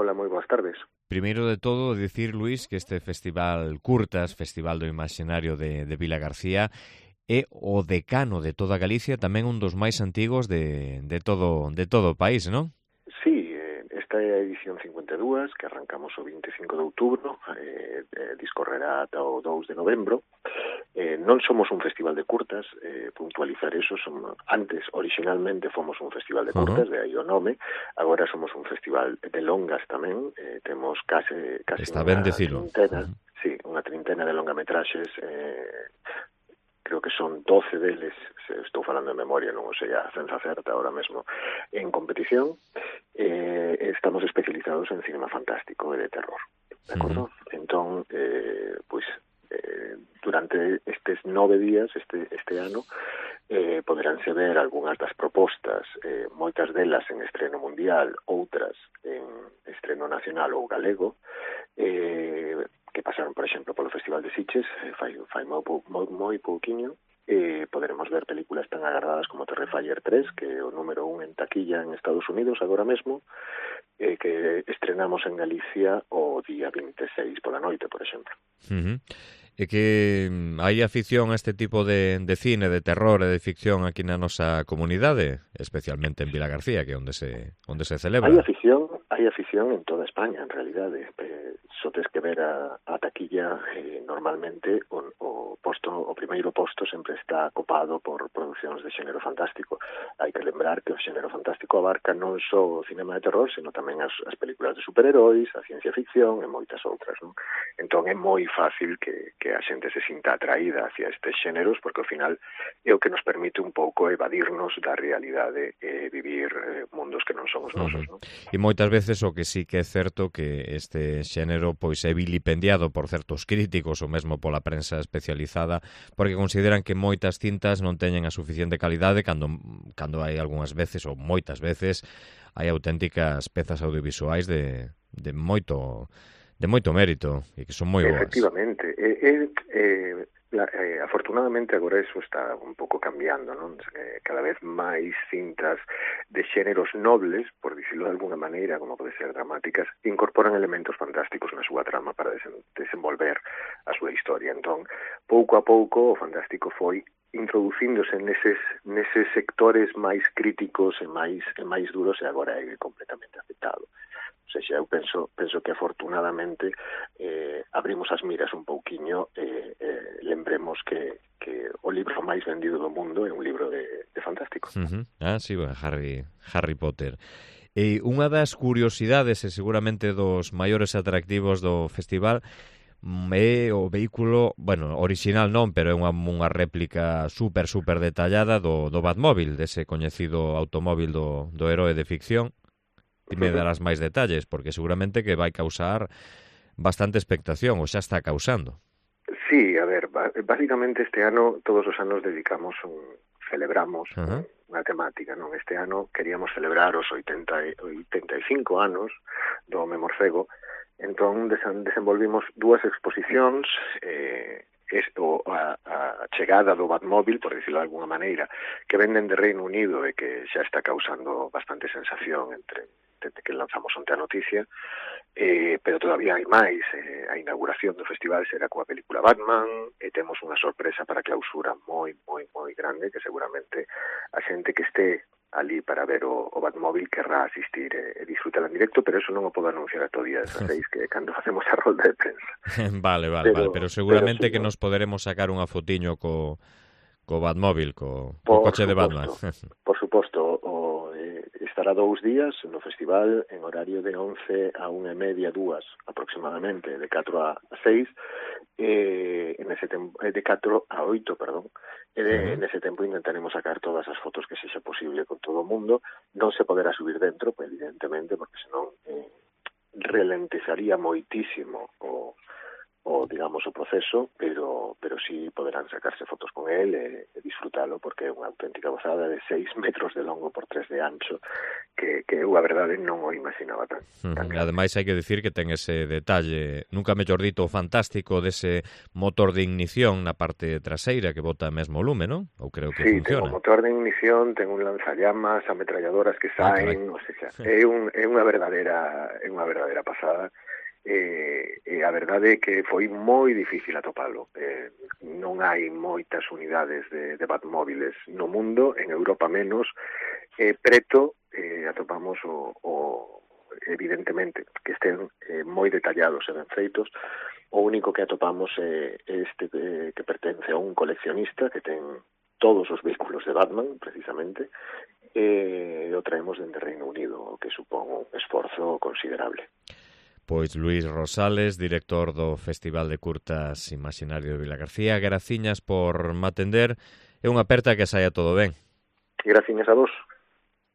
Hola, moi boas tardes. Primeiro de todo, dicir, Luís, que este festival Curtas, Festival do Imaxinario de Vilagarcía, é o decano de toda Galicia, tamén un dos máis antigos de todo o país, non? Sí, esta é a edición 52, que arrancamos o 25 de outubro, discorrerá ata o 2 de novembro. Non somos un festival de curtas, puntualizar eso, antes, originalmente, fomos un festival de curtas, de aí o nome, agora somos un festival de longas tamén, temos case Está ben dicilo. trintena, sí, unha trintena de longametraxes, creo que son 12 deles, se estou falando de memoria, non o sei a ciencia certa ahora mesmo, en competición. Estamos especializados en cinema fantástico e de terror, de acordo? Entón, durante estes 9 días, este ano, poderánse ver algunhas das propostas, moitas delas en estreno mundial, outras en estreno nacional ou galego, que pasaron, por exemplo, polo Festival de Sitges, fai moi pouquiño. Poderemos ver películas tan agardadas como Terrifier 3, que é o número 1 en taquilla en Estados Unidos agora mesmo, que estrenamos en Galicia o día 26 pola noite, por exemplo. É que hai afición a este tipo de cine, de terror e de ficción aquí na nosa comunidade, especialmente en Vilagarcía, que é onde se celebra. Hai afición en toda España, en realidade. Só tes que ver a taquilla, normalmente o primeiro posto sempre está copado por producións de xénero fantástico. Hai que lembrar que o xénero fantástico abarca non só o cinema de terror, sino tamén as películas de superheróis, a ciencia ficción e moitas outras, non? Entón é moi fácil que a xente se sinta atraída hacia estes xéneros, porque ao final é o que nos permite un pouco evadirnos da realidade e vivir mundos que non somos nosos, non? E moitas veces o que sí que é certo que este xénero pois é vilipendiado por certos críticos ou mesmo pola prensa especializada, porque consideran que moitas cintas non teñen a suficiente calidade cando hai algunhas veces ou moitas veces hai auténticas pezas audiovisuais de moito mérito e que son moi boas. Efectivamente. Afortunadamente agora eso está un pouco cambiando, non? Cada vez máis cintas de xéneros nobles, por dicirlo de alguna maneira, como pode ser dramáticas, incorporan elementos fantásticos na súa trama para desenvolver a súa historia. Entón, pouco a pouco o fantástico foi introducíndose neses sectores máis críticos e máis duros, e agora é completamente aceptado. O sea, eu penso que afortunadamente abrimos as miras un pouquiño e lembremos que o libro máis vendido do mundo é un libro de fantástico. Sí, bueno, Harry Potter. E unha das curiosidades e seguramente dos maiores atractivos do festival é o vehículo, bueno, original non, pero é unha réplica super detallada do Batmóvil, dese coñecido automóvil do heroe de ficción. Ti me darás máis detalles, porque seguramente que vai causar bastante expectación, ou xa está causando. Sí, a ver, básicamente este ano, todos os anos celebramos unha temática, non? Este ano queríamos celebrar os 85 anos do Home Morcego, entón desenvolvimos dúas exposicións, a chegada do Batmóvil, por dicirlo de alguna maneira, que venden de Reino Unido e que xa está causando bastante sensación entre que lanzamos onte a noticia, pero todavía hai máis. A inauguración do festival será coa película Batman, e temos unha sorpresa para a clausura moi grande, que seguramente a xente que este ali para ver o Batmóvil querrá asistir e disfrutar en directo, pero eso non o podo anunciar ata o día 16, que é cando facemos a rolda de prensa. Vale, pero seguramente que nos poderemos sacar unha fotiño co Batmóvil, co coche de Batman. Por suposto, estará 2 días no festival en horario de 11 a 1:30, 2 aproximadamente, de 4 a 6, en ese tempo, de 4 a 8, perdón. En ese tempo intentaremos sacar todas as fotos que sexa posible con todo o mundo. Non se poderá subir dentro, pues, evidentemente, porque senón ralentizaría moitísimo digamos, o proceso, pero sí poderán sacarse fotos con él e disfrutalo, porque é unha auténtica gozada de 6 metros de longo por 3 de ancho, que que eu, a verdade, non o imaginaba tan grande. Ademais, hai que dicir que ten ese detalle, nunca mellor dito, fantástico dese motor de ignición na parte traseira que bota mesmo lume, non? Ou creo que funciona. Sí, ten o motor de ignición, ten un lanzallamas, ametralladoras que saen, o sea, é unha verdadeira pasada. E a verdade é que foi moi difícil atopalo. Non hai moitas unidades de Batmóviles no mundo, en Europa menos, preto atopamos evidentemente que estén moi detallados e ben feitos. O único que atopamos é este que pertence a un coleccionista que ten todos os vehículos de Batman, precisamente, e o traemos dende Reino Unido, o que supón un esforzo considerable. Pois Luís Rosales, director do Festival de Curtas Imaxinario de Vilagarcía, graciñas por me atender e unha aperta que saia todo ben. Graciñas a vos.